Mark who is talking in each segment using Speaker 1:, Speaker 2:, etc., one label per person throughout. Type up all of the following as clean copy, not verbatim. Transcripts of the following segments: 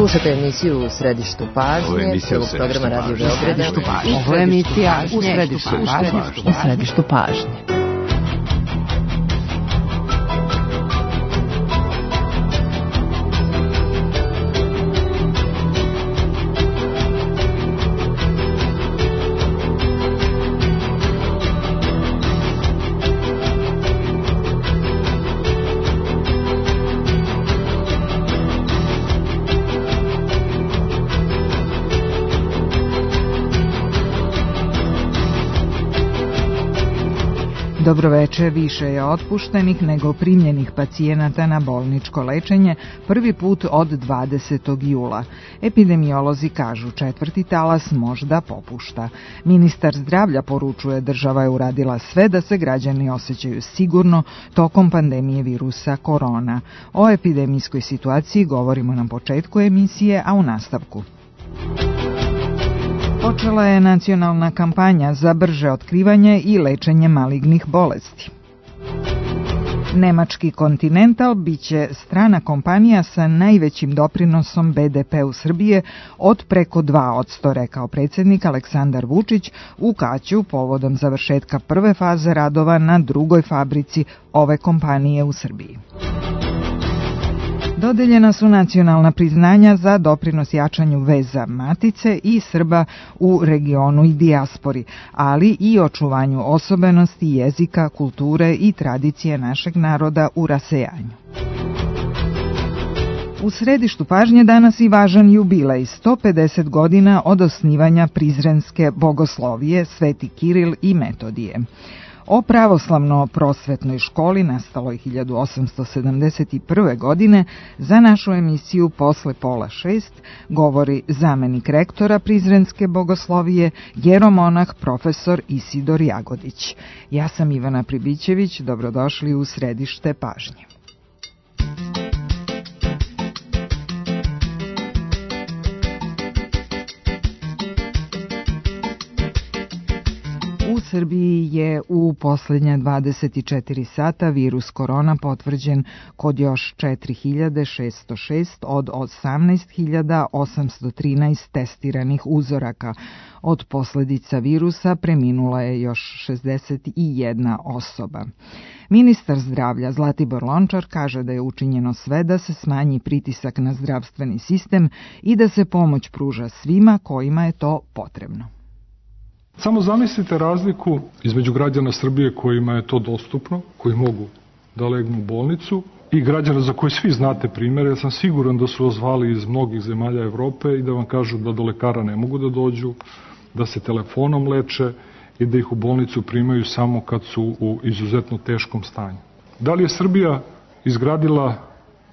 Speaker 1: Slušate emisiju U središtu pažnje, prvog programa Radio Beograda.
Speaker 2: Ovo je emisija U središtu pažnje.
Speaker 3: Dobroveče, više je otpuštenih nego primljenih pacijenata na bolničko lečenje prvi put od 20. jula. Epidemiolozi kažu četvrti talas možda popušta. Ministar zdravlja poručuje država je uradila sve da se građani osjećaju sigurno tokom pandemije virusa korona. O epidemijskoj situaciji govorimo na početku emisije, a u nastavku. Počela je nacionalna kampanja za brže otkrivanje i lečenje malignih bolesti. Nemački Continental biće strana kompanija sa najvećim doprinosom BDP-u Srbije od preko 2%, rekao predsjednik Aleksandar Vučić u Kaću povodom završetka prve faze radova na drugoj fabrici ove kompanije u Srbiji. Dodeljena su nacionalna priznanja za doprinos jačanju veza matice i Srba u regionu i dijaspori, ali i očuvanju osobenosti jezika, kulture i tradicije našeg naroda u rasejanju. U središtu pažnje danas i važan jubilej, 150 godina od osnivanja Prizrenske bogoslovije Sveti Kiril i Metodije. O pravoslavno-prosvetnoj školi nastaloj 1871. godine za našu emisiju Posle pola 6 govori zamenik rektora Prizrenske bogoslovije, jeromonah profesor Isidor Jagodić. Ja sam Ivana Pribićević, dobrodošli u središte pažnje. U Srbiji je u posljednja 24 sata virus korona potvrđen kod još 4606 od 18.813 testiranih uzoraka. Od posljedica virusa preminula je još 61 osoba. Ministar zdravlja Zlatibor Lončar kaže da je učinjeno sve da se smanji pritisak na zdravstveni sistem i da se pomoć pruža svima kojima je to potrebno.
Speaker 4: Samo zamislite razliku između građana Srbije kojima je to dostupno, koji mogu da legnu u bolnicu, i građana za koje svi znate primere. Ja sam siguran da su ozvali iz mnogih zemalja Evrope i da vam kažu da do lekara ne mogu da dođu, da se telefonom leče i da ih u bolnicu primaju samo kad su u izuzetno teškom stanju. Da li je Srbija izgradila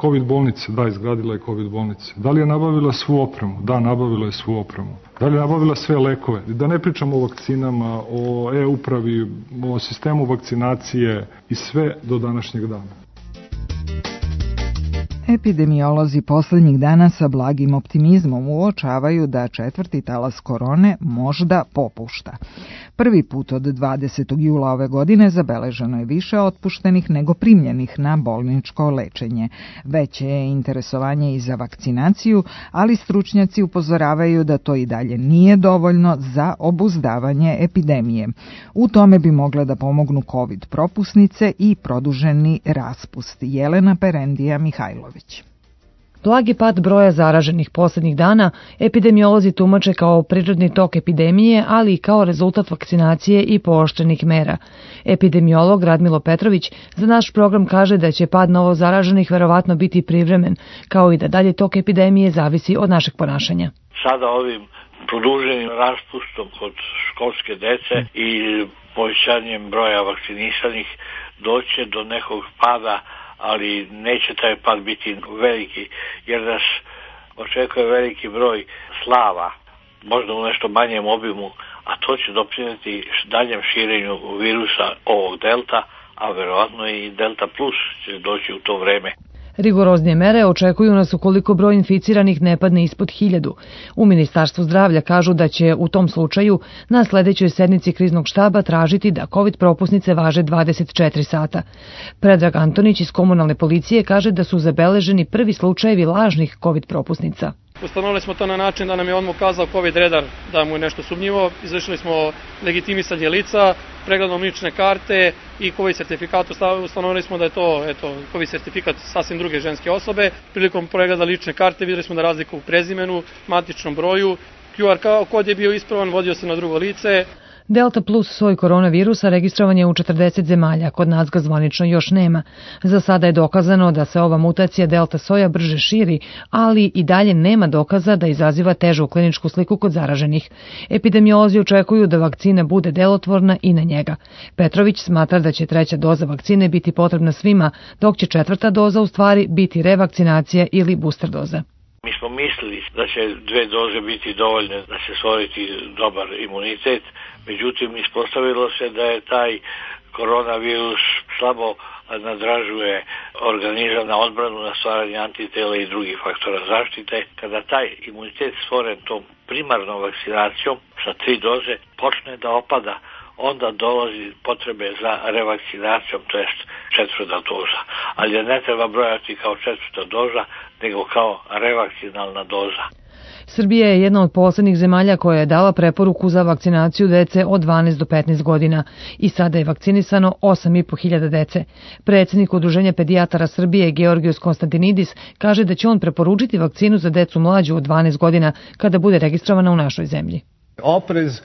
Speaker 4: COVID bolnice? Da, izgradila je COVID bolnice. Da li je nabavila svu opremu? Da, nabavila je svu opremu. Da li je nabavila sve lekove? Da ne pričamo o vakcinama, o e-upravi, o sistemu vakcinacije i sve do današnjeg dana.
Speaker 3: Epidemiolozi posljednjih dana sa blagim optimizmom uočavaju da četvrti talas korone možda popušta. Prvi put od 20. jula ove godine zabeleženo je više otpuštenih nego primljenih na bolničko lečenje. Veće je interesovanje i za vakcinaciju, ali stručnjaci upozoravaju da to i dalje nije dovoljno za obuzdavanje epidemije. U tome bi mogle da pomognu COVID propusnice i produženi raspust. Jelena Perendija Mihajlović.
Speaker 5: Blagi pad broja zaraženih posljednjih dana epidemiolozi tumače kao prirodni tok epidemije, ali i kao rezultat vakcinacije i pooštrenih mera. Epidemiolog Radmilo Petrović za naš program kaže da će pad novo zaraženih verovatno biti privremen, kao i da dalje tok epidemije zavisi od našeg ponašanja.
Speaker 6: Sada ovim produženim raspustom kod školske dece i povećanjem broja vakcinisanih doće do nekog pada, ali neće taj pad biti veliki, jer nas očekuje veliki broj slava, možda u nešto manjem obimu, a to će doprinijeti daljem širenju virusa ovog delta, a verovatno i delta plus će doći u to vreme.
Speaker 5: Rigoroznije mere očekuju nas ukoliko broj inficiranih ne padne ispod 1000. U Ministarstvu zdravlja kažu da će u tom slučaju na sljedećoj sednici kriznog štaba tražiti da COVID propusnice važe 24 sata. Predrag Antonić iz komunalne policije kaže da su zabeleženi prvi slučajevi lažnih COVID propusnica.
Speaker 7: Ustanovili smo to na način da nam je odmah ukazao COVID redar da mu je nešto sumnjivo. Izvršili smo legitimisanje lica, pregledom lične karte i COVID sertifikat. Ustanovili smo da je to COVID sertifikat sasvim druge ženske osobe. Prilikom pregleda lične karte videli smo da razlika u prezimenu, matičnom broju, QR kod je bio ispravan, vodio se na drugo lice.
Speaker 5: Delta plus soj koronavirusa registrovan je u 40 zemalja, kod nas ga zvanično još nema. Za sada je dokazano da se ova mutacija delta soja brže širi, ali i dalje nema dokaza da izaziva težu kliničku sliku kod zaraženih. Epidemiolozi očekuju da vakcina bude delotvorna i na njega. Petrović smatra da će 3. doza vakcine biti potrebna svima, dok će 4. doza u stvari biti revakcinacija ili booster doza.
Speaker 6: Mi smo mislili da će 2 doze biti dovoljne da se stvoriti dobar imunitet, međutim ispostavilo se da je taj koronavirus slabo nadražuje organizam na odbranu, na stvaranje antitela i drugih faktora zaštite. Kada taj imunitet stvoren tom primarnom vakcinacijom sa 3 doze počne da opada, onda dolazi potrebe za revakcinacijom, to jest 4. doza. Ali je ne treba brojati kao 4. doza, nego kao revakcinalna doza.
Speaker 5: Srbija je jedna od poslednjih zemalja koja je dala preporuku za vakcinaciju dece od 12 do 15 godina i sada je vakcinisano 8.500 dece. Predsjednik Udruženja pedijatara Srbije Georgijos Konstantinidis kaže da će on preporučiti vakcinu za decu mlađu od 12 godina kada bude registrovana u našoj zemlji.
Speaker 8: Oprez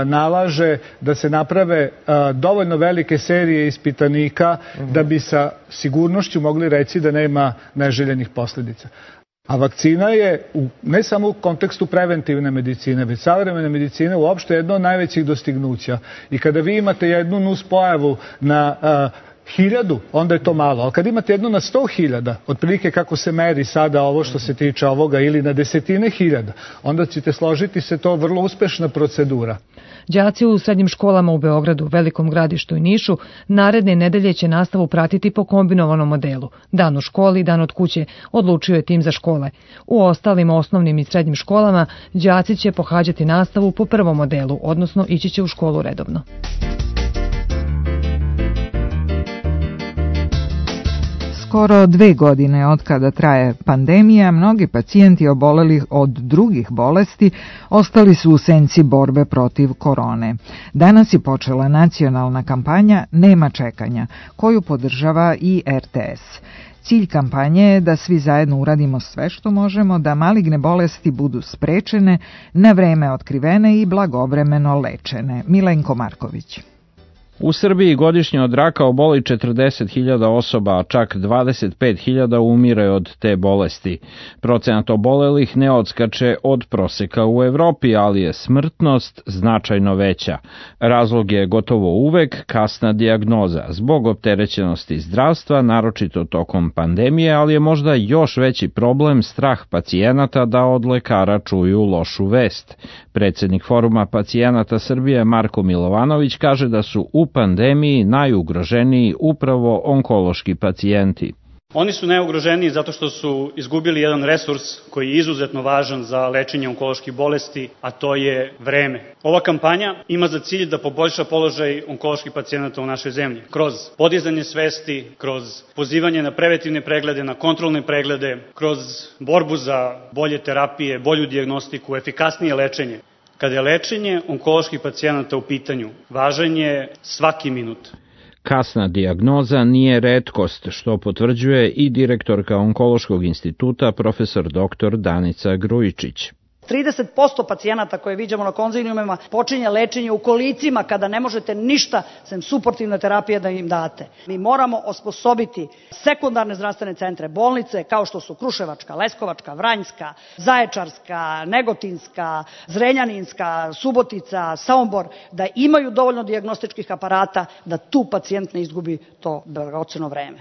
Speaker 8: nalaže da se naprave dovoljno velike serije ispitanika da bi sa sigurnošću mogli reći da nema neželjenih posljedica. A vakcina je ne samo u kontekstu preventivne medicine, već savremene medicine uopšte jedno od najvećih dostignuća. I kada vi imate jednu nuspojavu na 1000, onda je to malo. Ali kad imate jednu na 100.000, otprilike kako se meri sada ovo što se tiče ovoga, ili na desetine hiljada, onda ćete složiti se to vrlo uspešna procedura.
Speaker 5: Đaci u srednjim školama u Beogradu, Velikom Gradištu i Nišu naredne nedelje će nastavu pratiti po kombinovanom modelu. Dan u školi, dan od kuće, odlučio je tim za škole. U ostalim osnovnim i srednjim školama đaci će pohađati nastavu po prvom modelu, odnosno ići će u školu redovno.
Speaker 3: Skoro 2 godine od kada traje pandemija, mnogi pacijenti oboleli od drugih bolesti ostali su u senci borbe protiv korone. Danas je počela nacionalna kampanja Nema čekanja, koju podržava i RTS. Cilj kampanje je da svi zajedno uradimo sve što možemo da maligne bolesti budu sprečene, na vreme otkrivene i blagovremeno lečene. Milenko Marković.
Speaker 9: U Srbiji godišnje od raka oboli 40.000 osoba, a čak 25.000 umire od te bolesti. Procenat obolelih ne odskače od proseka u Evropi, ali je smrtnost značajno veća. Razlog je gotovo uvek kasna dijagnoza, zbog opterećenosti zdravstva, naročito tokom pandemije, ali je možda još veći problem strah pacijenata da od lekara čuju lošu vest. Predsjednik Foruma pacijenata Srbije Marko Milovanović kaže da su u pandemiji najugroženiji upravo onkološki pacijenti.
Speaker 10: Oni su najugroženiji zato što su izgubili jedan resurs koji je izuzetno važan za lečenje onkoloških bolesti, a to je vreme. Ova kampanja ima za cilj da poboljša položaj onkoloških pacijenata u našoj zemlji. Kroz podizanje svesti, kroz pozivanje na preventivne preglede, na kontrolne preglede, kroz borbu za bolje terapije, bolju dijagnostiku, efikasnije lečenje. Kada je lečenje onkoloških pacijenata u pitanju, važan je svaki minut.
Speaker 9: Kasna dijagnoza nije retkost, što potvrđuje i direktorka Onkološkog instituta profesor dr. Danica Grujičić.
Speaker 11: 30% pacijenata koje viđamo na konziliumima počinje lečenje u kolicima kada ne možete ništa sem suportivne terapije da im date. Mi moramo osposobiti sekundarne zdravstvene centre, bolnice kao što su Kruševačka, Leskovačka, Vranjska, Zaječarska, Negotinska, Zrenjaninska, Subotica, Sombor, da imaju dovoljno dijagnostičkih aparata da tu pacijent ne izgubi to dragoceno vreme.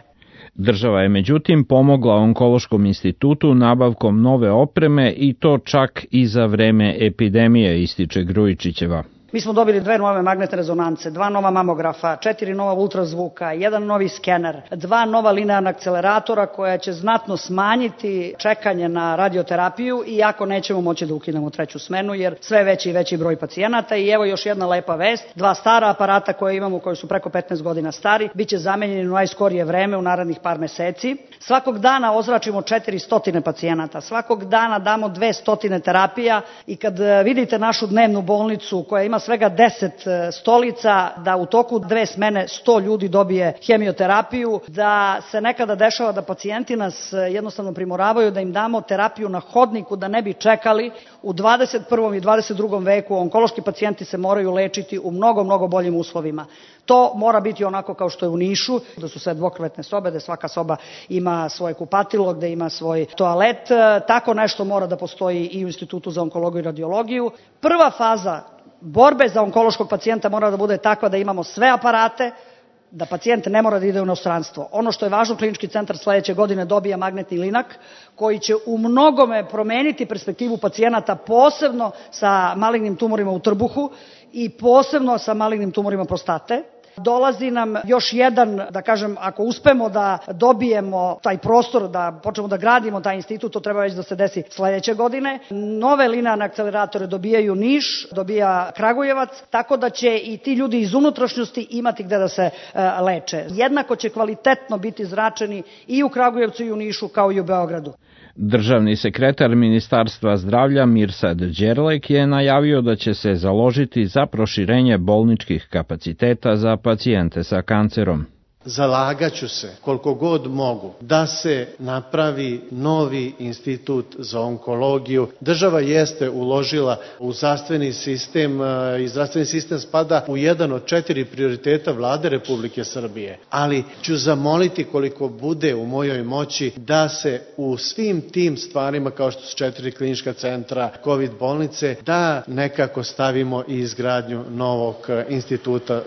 Speaker 9: Država je međutim pomogla Onkološkom institutu nabavkom nove opreme i to čak i za vreme epidemije, ističe Grujičićeva.
Speaker 11: Mi smo dobili 2 nove magnetne rezonance, 2 nova mamografa, 4 nova ultrazvuka, 1 novi skener, 2 nova linearna akceleratora koja će znatno smanjiti čekanje na radioterapiju, iako nećemo moći da ukinemo 3. smenu jer sve veći i veći broj pacijenata. I evo još jedna lepa vest, 2 stara aparata koje imamo, koji su preko 15 godina stari, biće zamenjeni u najskorije vreme, u narednih par meseci. Svakog dana ozračimo 400 pacijenata, svakog dana damo 200 terapija i kad vidite našu dnevnu bolnicu koja ima svega 10 stolica, da u toku 2 smene 100 ljudi dobije hemioterapiju, da se nekada dešava da pacijenti nas jednostavno primoravaju da im damo terapiju na hodniku da ne bi čekali. U 21. i 22. veku onkološki pacijenti se moraju lečiti u mnogo boljim uslovima. To mora biti onako kao što je u Nišu, da su sve dvokrevetne sobe, da svaka soba ima svoje kupatilo, gde ima svoj toalet. Tako nešto mora da postoji i u Institutu za onkologiju i radiologiju. Prva faza borbe za onkološkog pacijenta mora da bude takva da imamo sve aparate, da pacijent ne mora da ide u inostranstvo. Ono što je važno, klinički centar sledeće godine dobija magnetni linak koji će u mnogome promeniti perspektivu pacijenata, posebno sa malignim tumorima u trbuhu i posebno sa malignim tumorima prostate. Dolazi nam još jedan, da kažem, ako uspemo da dobijemo taj prostor, da počnemo da gradimo taj institut, to treba već da se desi sledeće godine. Nove linearne akceleratore dobijaju Niš, dobija Kragujevac, tako da će i ti ljudi iz unutrašnjosti imati gde da se leče. Jednako će kvalitetno biti zračeni i u Kragujevcu i u Nišu kao i u Beogradu.
Speaker 9: Državni sekretar Ministarstva zdravlja Mirsad Đerlek je najavio da će se založiti za proširenje bolničkih kapaciteta za pacijente sa kancerom.
Speaker 12: Zalagaću se koliko god mogu da se napravi novi institut za onkologiju. Država jeste uložila u zdravstveni sistem i zdravstveni sistem spada u jedan od 4 prioriteta Vlade Republike Srbije. Ali ću zamoliti koliko bude u mojoj moći da se u svim tim stvarima kao što su 4 klinička centra, COVID bolnice, da nekako stavimo i izgradnju novog instituta.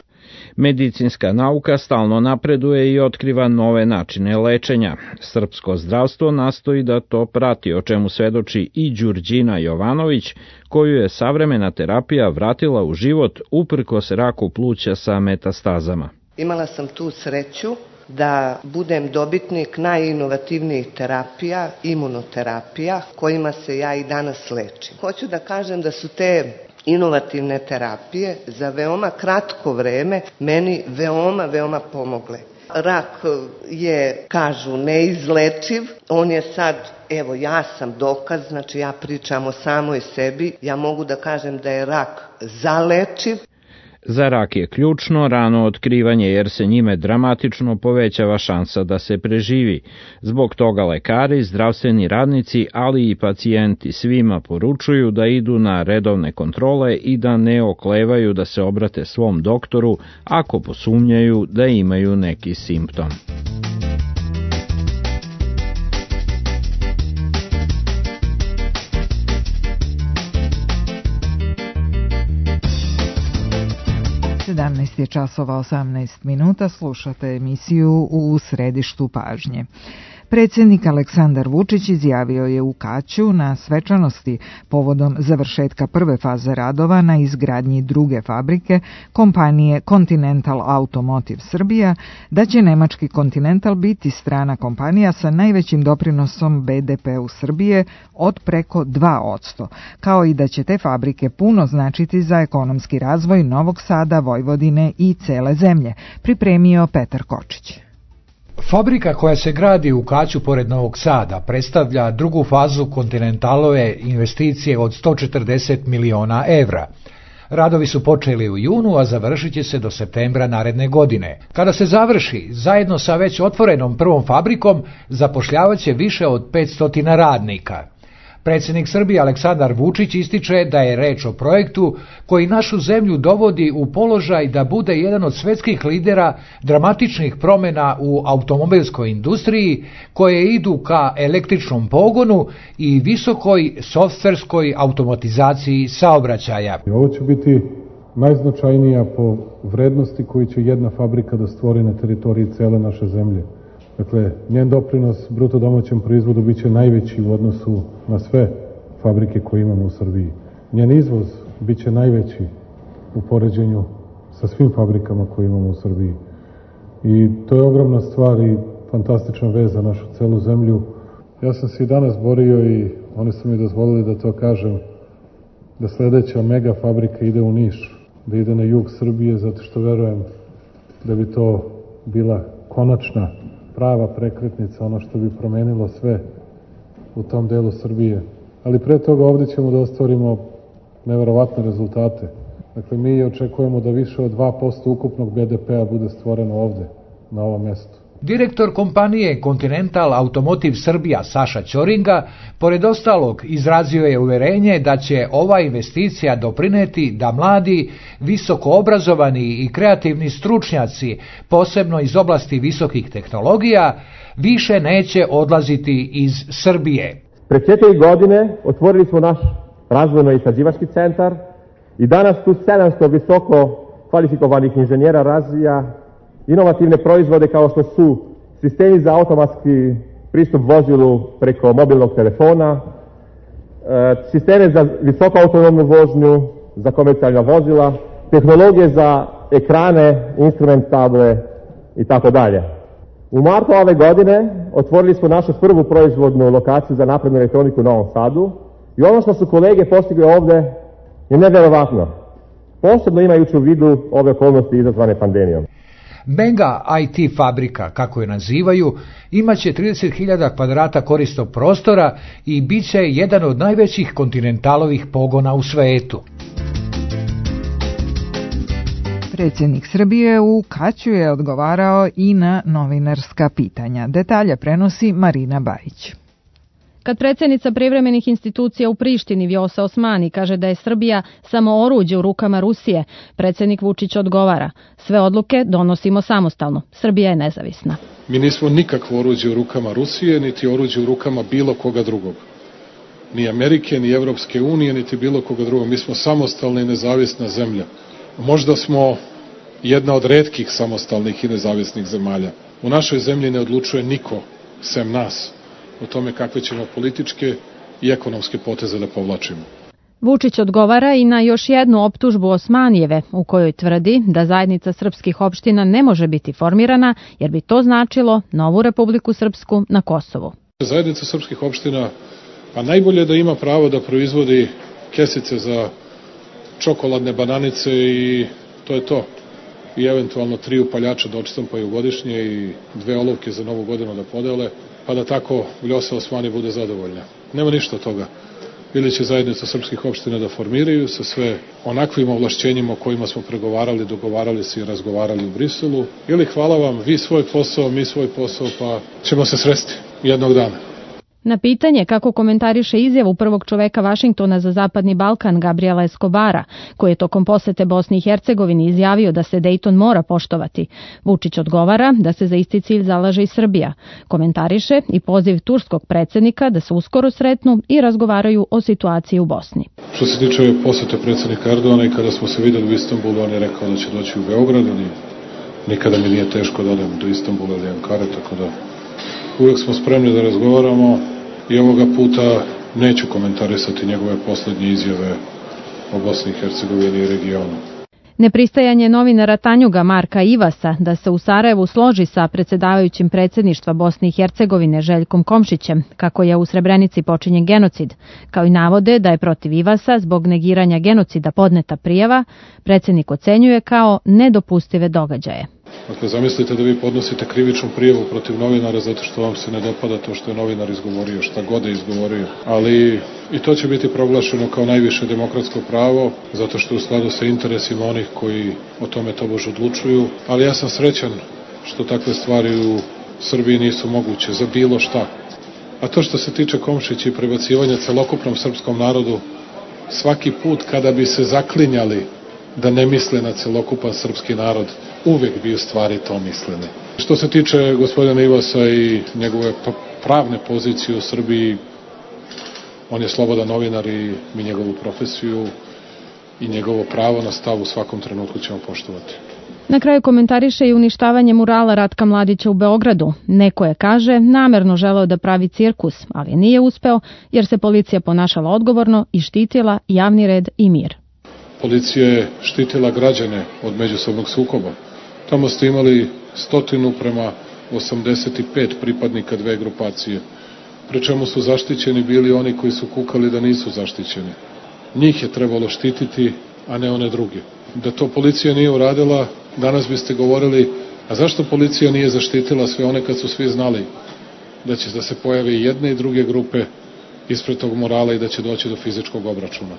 Speaker 9: Medicinska nauka stalno napreduje i otkriva nove načine lečenja. Srpsko zdravstvo nastoji da to prati, o čemu svedoči i Đurđina Jovanović, koju je savremena terapija vratila u život uprkos raku pluća sa metastazama.
Speaker 13: Imala sam tu sreću da budem dobitnik najinovativnijih terapija, imunoterapija, kojima se ja i danas lečim. Hoću da kažem da su te inovativne terapije za veoma kratko vreme meni veoma pomogle. Rak je, kažu, neizlečiv, on je sad, evo ja sam dokaz, znači ja pričam o samoj sebi, ja mogu da kažem da je rak zalečiv.
Speaker 9: Za rak je ključno rano otkrivanje jer se njime dramatično povećava šansa da se preživi. Zbog toga lekari, zdravstveni radnici, ali i pacijenti svima poručuju da idu na redovne kontrole i da ne oklevaju da se obrate svom doktoru ako posumnjaju da imaju neki simptom.
Speaker 3: Je časova 18 minuta, slušate emisiju U središtu pažnje. Predsjednik Aleksandar Vučić izjavio je u Kaću na svečanosti povodom završetka prve faze radova na izgradnji druge fabrike kompanije Continental Automotive Srbija da će nemački Continental biti strana kompanija sa najvećim doprinosom BDP-u Srbije od preko 2%, kao i da će te fabrike puno značiti za ekonomski razvoj Novog Sada, Vojvodine i cele zemlje, pripremio Petar Kočić.
Speaker 14: Fabrika koja se gradi u Kaću pored Novog Sada predstavlja drugu fazu Continentalove investicije od 140 miliona evra. Radovi su počeli u junu, a završit će se do septembra naredne godine. Kada se završi, zajedno sa već otvorenom prvom fabrikom, zapošljavaće više od 500 radnika. Predsjednik Srbije Aleksandar Vučić ističe da je reč o projektu koji našu zemlju dovodi u položaj da bude jedan od svetskih lidera dramatičnih promjena u automobilskoj industriji koje idu ka električnom pogonu i visokoj softverskoj automatizaciji saobraćaja.
Speaker 4: Ovo će biti najznačajnija po vrednosti koju će jedna fabrika da stvori na teritoriji cele naše zemlje. Dakle, njen doprinos bruto domaćem proizvodu biće najveći u odnosu na sve fabrike koje imamo u Srbiji. Njen izvoz biće najveći u poređenju sa svim fabrikama koje imamo u Srbiji. I to je ogromna stvar i fantastična vez za našu celu zemlju. Ja sam se i danas borio i oni su mi dozvolili da to kažem, da sledeća mega fabrika ide u Niš, da ide na jug Srbije, zato što verujem da bi to bila konačna, prava prekretnica, ono što bi promenilo sve u tom delu Srbije. Ali pre toga ovde ćemo da ostvarimo neverovatne rezultate. Dakle, mi očekujemo da više od 2% ukupnog BDP-a bude stvoreno ovde, na ovom mestu.
Speaker 14: Direktor kompanije Continental Automotive Srbija Saša Ćoringa, pored ostalog, izrazio je uverenje da će ova investicija doprineti da mladi, visoko obrazovani i kreativni stručnjaci, posebno iz oblasti visokih tehnologija, više neće odlaziti iz Srbije.
Speaker 15: Pre 4 godine otvorili smo naš razvojno-istraživački centar i danas tu 700 visoko kvalifikovanih inženjera razvija inovativne proizvode kao što su sistemi za automatski pristup vozilu preko mobilnog telefona, sisteme za visoko autonomnu vožnju, za komercijalna vozila, tehnologije za ekrane, instrument table i tako dalje. U martu ove godine otvorili smo našu prvu proizvodnu lokaciju za naprednu elektroniku u Novom Sadu i ono što su kolege postigli ovde je neverovatno, posebno imajući u vidu ove okolnosti izazvane pandemijom.
Speaker 14: Mega IT fabrika, kako je nazivaju, imaće 30.000 kvadrata korisnog prostora i bit će jedan od najvećih Continentalovih pogona u svetu.
Speaker 3: Predsjednik Srbije u Kaću je odgovarao i na novinarska pitanja. Detalje prenosi Marina Bajić.
Speaker 16: Kad predsjednica privremenih institucija u Prištini Vjosa Osmani kaže da je Srbija samo oruđe u rukama Rusije, predsjednik Vučić odgovara: sve odluke donosimo samostalno, Srbija je nezavisna.
Speaker 4: Mi nismo nikakvo oruđe u rukama Rusije, niti oruđe u rukama bilo koga drugog. Ni Amerike, ni Evropske unije, niti bilo koga drugog. Mi smo samostalna i nezavisna zemlja. Možda smo jedna od retkih samostalnih i nezavisnih zemalja. U našoj zemlji ne odlučuje niko, sem nas, o tome kakve ćemo političke i ekonomske poteze da povlačimo.
Speaker 16: Vučić odgovara i na još jednu optužbu Osmanijeve, u kojoj tvrdi da zajednica srpskih opština ne može biti formirana, jer bi to značilo novu Republiku Srpsku na Kosovu.
Speaker 4: Zajednica srpskih opština, pa najbolje da ima pravo da proizvodi kesice za čokoladne bananice i to je to. I eventualno 3 upaljača da odštampaju godišnje i 2 olovke za novu godinu da podele, pa da tako Vjosa Osmani bude zadovoljna. Nema ništa od toga. Ili će zajednica srpskih opština da formiraju sa sve onakvim ovlašćenjima o kojima smo pregovarali, dogovarali se i razgovarali u Briselu, ili hvala vam, vi svoj posao, mi svoj posao, pa ćemo se sresti jednog dana.
Speaker 16: Na pitanje kako komentariše izjavu prvog čoveka Vašingtona za Zapadni Balkan Gabriela Escobara, koji je tokom posete Bosni i Hercegovini izjavio da se Dejton mora poštovati, Vučić odgovara da se za isti cilj zalaže i Srbija. Komentariše i poziv turskog predsjednika da se uskoro sretnu i razgovaraju o situaciji u Bosni.
Speaker 4: Što se tiče posete predsjednika Erdogana i kada smo se videli u Istanbulu, on je rekao da će doći u Beograd, ali nikada mi nije teško da odem do Istanbula ili Ankare, tako da uvijek smo spremni da razgovaramo i ovoga puta neću komentarisati njegove posljednje izjave o Bosni i Hercegovini i regionu.
Speaker 16: Nepristajanje novinara Tanjuga Marka Ivasa da se u Sarajevu složi sa predsjedavajućim predsjedništva Bosne i Hercegovine Željkom Komšićem, kako je u Srebrenici počinjen genocid, kao i navode da je protiv Ivasa zbog negiranja genocida podneta prijava, predsjednik ocenjuje kao nedopustive događaje.
Speaker 4: Dakle, zamislite da vi podnosite krivičnu prijavu protiv novinara zato što vam se ne dopada to što je novinar izgovorio, šta god je izgovorio. Ali i to će biti proglašeno kao najviše demokratsko pravo, zato što je u skladu sa interesima onih koji o tome tobož odlučuju. Ali ja sam srećan što takve stvari u Srbiji nisu moguće za bilo šta. A to što se tiče Komšića i prebacivanja celokupnom srpskom narodu, svaki put kada bi se zaklinjali da ne misle na celokupan srpski narod, uvek bi u stvari to mislili. Što se tiče gospodina Ivasa i njegove pravne pozicije u Srbiji, on je slobodan novinar i mi njegovu profesiju i njegovo pravo na stav u svakom trenutku ćemo poštovati.
Speaker 16: Na kraju komentariše i uništavanje murala Ratka Mladića u Beogradu. Neko je, kaže, namerno želeo da pravi cirkus, ali nije uspeo jer se policija ponašala odgovorno i štitila javni red i mir.
Speaker 4: Policija je štitila građane od međusobnog sukoba. Tamo ste imali 100 prema 85 pripadnika dve grupacije, pri čemu su zaštićeni bili oni koji su kukali da nisu zaštićeni. Njih je trebalo štititi, a ne one druge. Da to policija nije uradila, danas biste govorili, a zašto policija nije zaštitila sve one kad su svi znali da će da se pojave i jedne i druge grupe ispred tog morala i da će doći do fizičkog obračuna.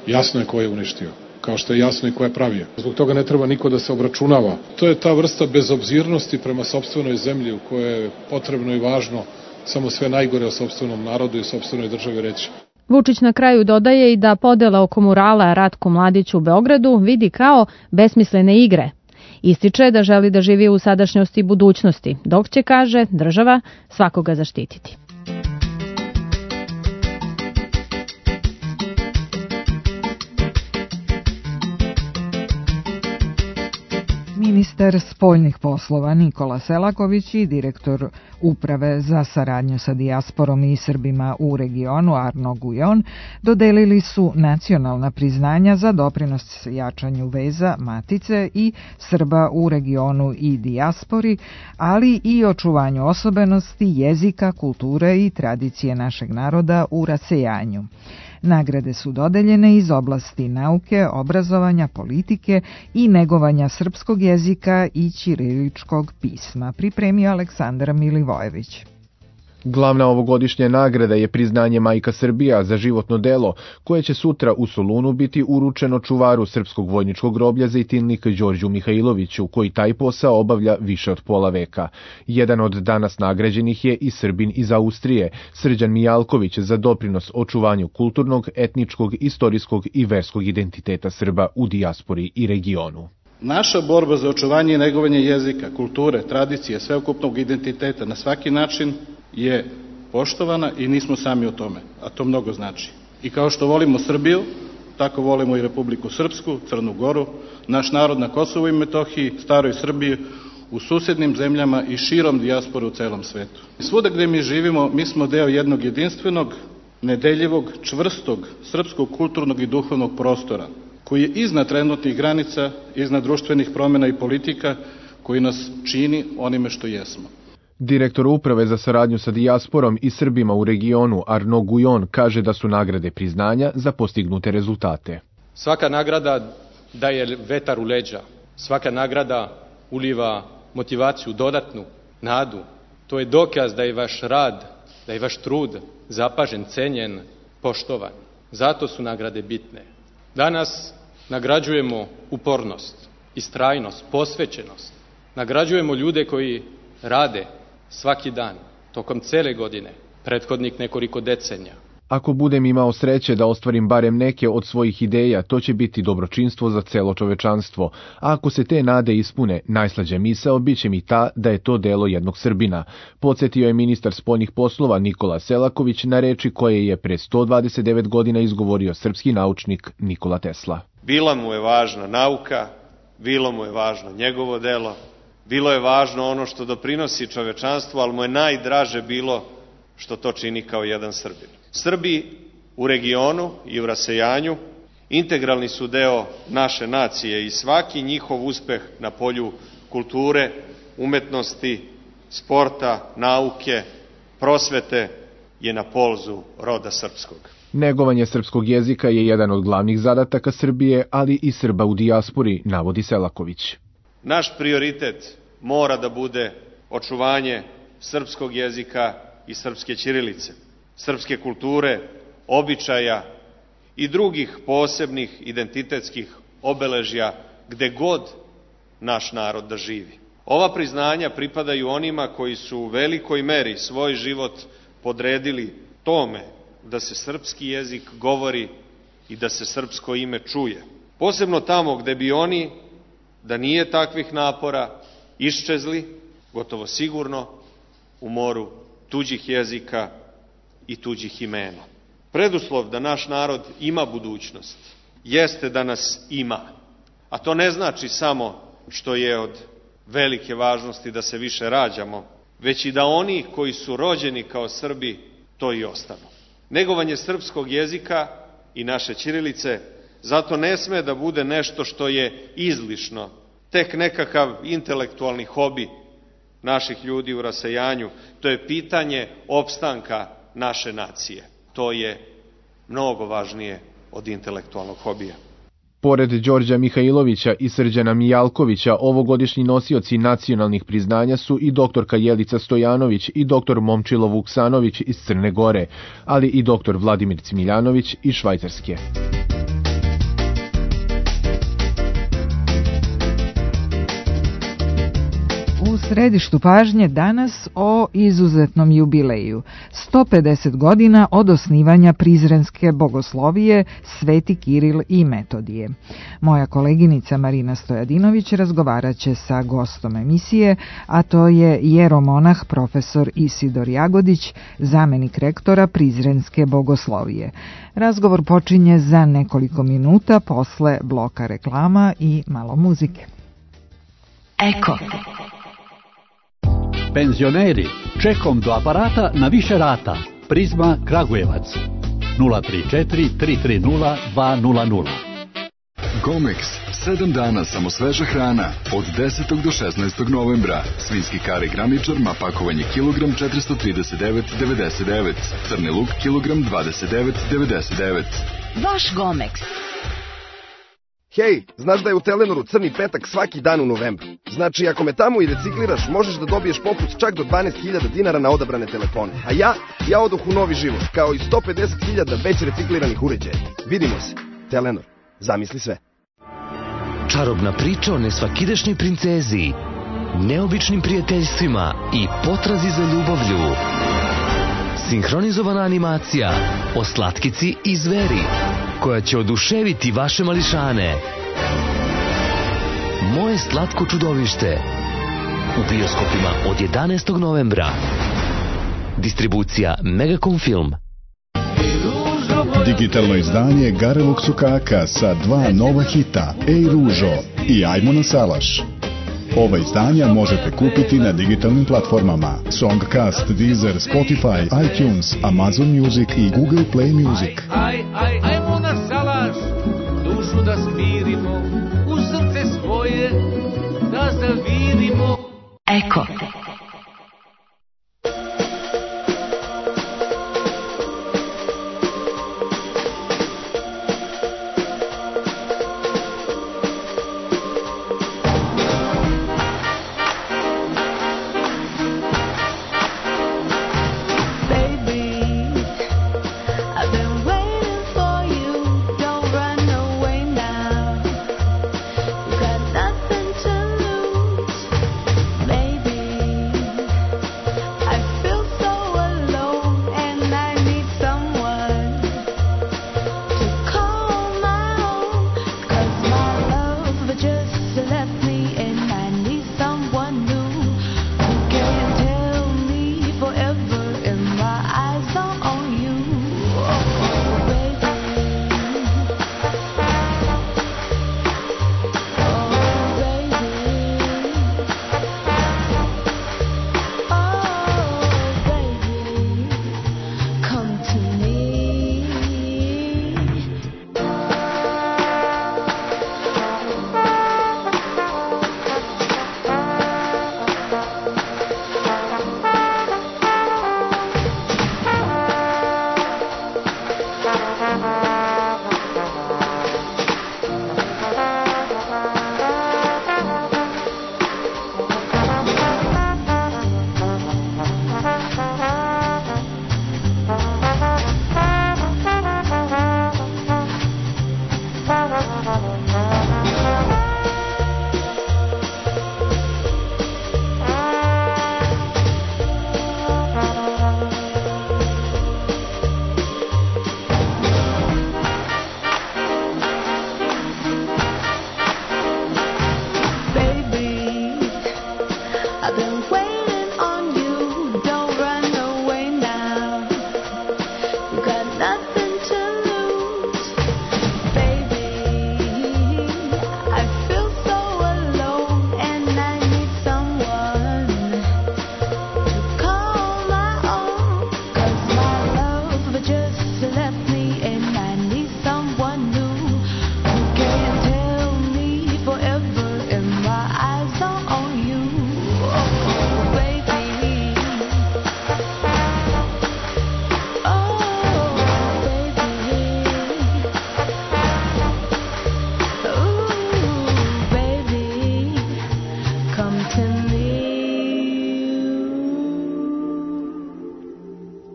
Speaker 4: Jasno je ko je uništio, kao što je jasno i ko je pravio. Zbog toga ne treba niko da se obračunava. To je ta vrsta bezobzirnosti prema sopstvenoj zemlji u kojoj je potrebno i važno samo sve najgore o sopstvenom narodu i sopstvenoj državi reći.
Speaker 16: Vučić na kraju dodaje i da podela oko murala Ratku Mladiću u Beogradu vidi kao besmislene igre. Ističe da želi da živi u sadašnjosti i budućnosti, dok će, kaže, država svakoga zaštititi.
Speaker 3: Ministar spoljnih poslova Nikola Selaković i direktor Uprave za saradnju sa dijasporom i Srbima u regionu Arno Gujon dodelili su nacionalna priznanja za doprinos jačanju veza Matice i Srba u regionu i dijaspori, ali i očuvanju osobenosti, jezika, kulture i tradicije našeg naroda u rasejanju. Nagrade su dodeljene iz oblasti nauke, obrazovanja, politike i negovanja srpskog jezika i ćiriličkog pisma, pripremio Aleksandar Milivojević.
Speaker 17: Glavna ovogodišnja nagrada je priznanje Majka Srbija za životno delo, koje će sutra u Solunu biti uručeno čuvaru Srpskog vojničkog groblja Zejtinlik Đorđu Mihajloviću, koji taj posao obavlja više od pola veka. Jedan od danas nagrađenih je i Srbin iz Austrije, Srđan Mijalković, za doprinos očuvanju kulturnog, etničkog, istorijskog i verskog identiteta Srba u dijaspori i regionu.
Speaker 18: Naša borba za očuvanje i negovanje jezika, kulture, tradicije, sveukupnog identiteta na svaki način je poštovana i nismo sami o tome, a to mnogo znači. I kao što volimo Srbiju, tako volimo i Republiku Srpsku, Crnu Goru, naš narod na Kosovu i Metohiji, staroj Srbiji, u susednim zemljama i širom dijaspore u celom svetu. Svuda gde mi živimo, mi smo deo jednog jedinstvenog, nedeljivog, čvrstog, srpskog kulturnog i duhovnog prostora, koji je iznad trenutnih granica, iznad društvenih promjena i politika, koji nas čini onime što jesmo.
Speaker 17: Direktor Uprave za saradnju sa dijasporom i Srbima u regionu Arno Gujon kaže da su nagrade priznanja za postignute rezultate.
Speaker 19: Svaka nagrada daje vetar u leđa, svaka nagrada uliva motivaciju, dodatnu nadu. To je dokaz da je vaš rad, da je vaš trud zapažen, cenjen, poštovan. Zato su nagrade bitne. Danas nagrađujemo upornost, istrajnost, posvećenost. Nagrađujemo ljude koji rade svaki dan, tokom cele godine, prethodnih nekoliko decenija.
Speaker 17: Ako budem imao sreće da ostvarim barem neke od svojih ideja, to će biti dobročinstvo za celo čovečanstvo, a ako se te nade ispune, najslađa misao biće mi ta da je to delo jednog Srbina, podsjetio je ministar spoljnih poslova Nikola Selaković na reči koje je pre 129 godina izgovorio srpski naučnik Nikola Tesla.
Speaker 20: Bila mu je važna nauka, bilo mu je važno njegovo delo, bilo je važno ono što doprinosi čovečanstvu, ali mu je najdraže bilo što to čini kao jedan Srbin. Srbi u regionu i u rasejanju integralni su deo naše nacije i svaki njihov uspeh na polju kulture, umetnosti, sporta, nauke, prosvete je na polzu roda srpskog.
Speaker 17: Negovanje srpskog jezika je jedan od glavnih zadataka Srbije, ali i Srba u dijaspori, navodi Selaković.
Speaker 20: Naš prioritet mora da bude očuvanje srpskog jezika i srpske ćirilice, srpske kulture, običaja i drugih posebnih identitetskih obeležja gde god naš narod da živi. Ova priznanja pripadaju onima koji su u velikoj meri svoj život podredili tome da se srpski jezik govori i da se srpsko ime čuje. Posebno tamo gde bi oni, da nije takvih napora, iščezli, gotovo sigurno, u moru tuđih jezika i tuđih imena. Preduslov da naš narod ima budućnost jeste da nas ima, a to ne znači samo što je od velike važnosti da se više rađamo, već i da oni koji su rođeni kao Srbi to i ostanu. Negovanje srpskog jezika i naše ćirilice Zato ne sme da bude nešto što je izlišno, tek nekakav intelektualni hobi naših ljudi u rasejanju. To je pitanje opstanka naše nacije. To je mnogo važnije od intelektualnog hobija.
Speaker 17: Pored Đorđa Mihajlovića i Srđana Mijalkovića, ovogodišnji nosioci nacionalnih priznanja su i doktorka Jelica Stojanović i doktor Momčilo Vuksanović iz Crne Gore, ali i doktor Vladimir Cmiljanović iz Švajcarske.
Speaker 3: U središtu pažnje danas o izuzetnom jubileju. 150 godina od osnivanja Prizrenske bogoslovije Sveti Kiril i Metodije. Moja koleginica Marina Stojadinović razgovarat će sa gostom emisije, a to je jeromonah profesor Isidor Jagodić, zamenik rektora Prizrenske bogoslovije. Razgovor počinje za nekoliko minuta posle bloka reklama i malo muzike.
Speaker 21: Eko. Penzioneri, čekom do aparata na više rata. Prizma Kragujevac 034 330 200.
Speaker 22: Gomex, 7 dana samo sveža hrana, od 10. do 16. novembra. Svinjski kare graničar, pakovanje kilogram 439,99, crni luk kilogram 29,99.
Speaker 21: Vaš Gomex.
Speaker 23: Hej, znaš da je u Telenoru crni petak svaki dan u novembru? Znači, ako me tamo i recikliraš, možeš da dobiješ popust čak do 12.000 dinara na odabrane telefone. A ja odoh u novi život, kao i 150.000 već recikliranih uređaja. Vidimo se. Telenor. Zamisli sve.
Speaker 24: Čarobna priča o nesvakidašnjoj princezi, neobičnim prijateljstvima i potrazi za ljubavlju. Sinhronizovana animacija o slatkici i zveri, koja će oduševiti vaše mališane. Moje slatko čudovište. U bioskopima od 11. novembra. Distribucija Megacom Film.
Speaker 25: Digitalno izdanje Garevog sukaka sa 2 nova hita, Ej ružo i Ajmo na salaš. Ova izdanja možete kupiti na digitalnim platformama Songcast, Deezer, Spotify, iTunes, Amazon Music i Google Play Music.
Speaker 26: Ajmo na salaš, dušu da smirimo, u srce svoje da zavirimo.
Speaker 21: Eko.
Speaker 27: Baby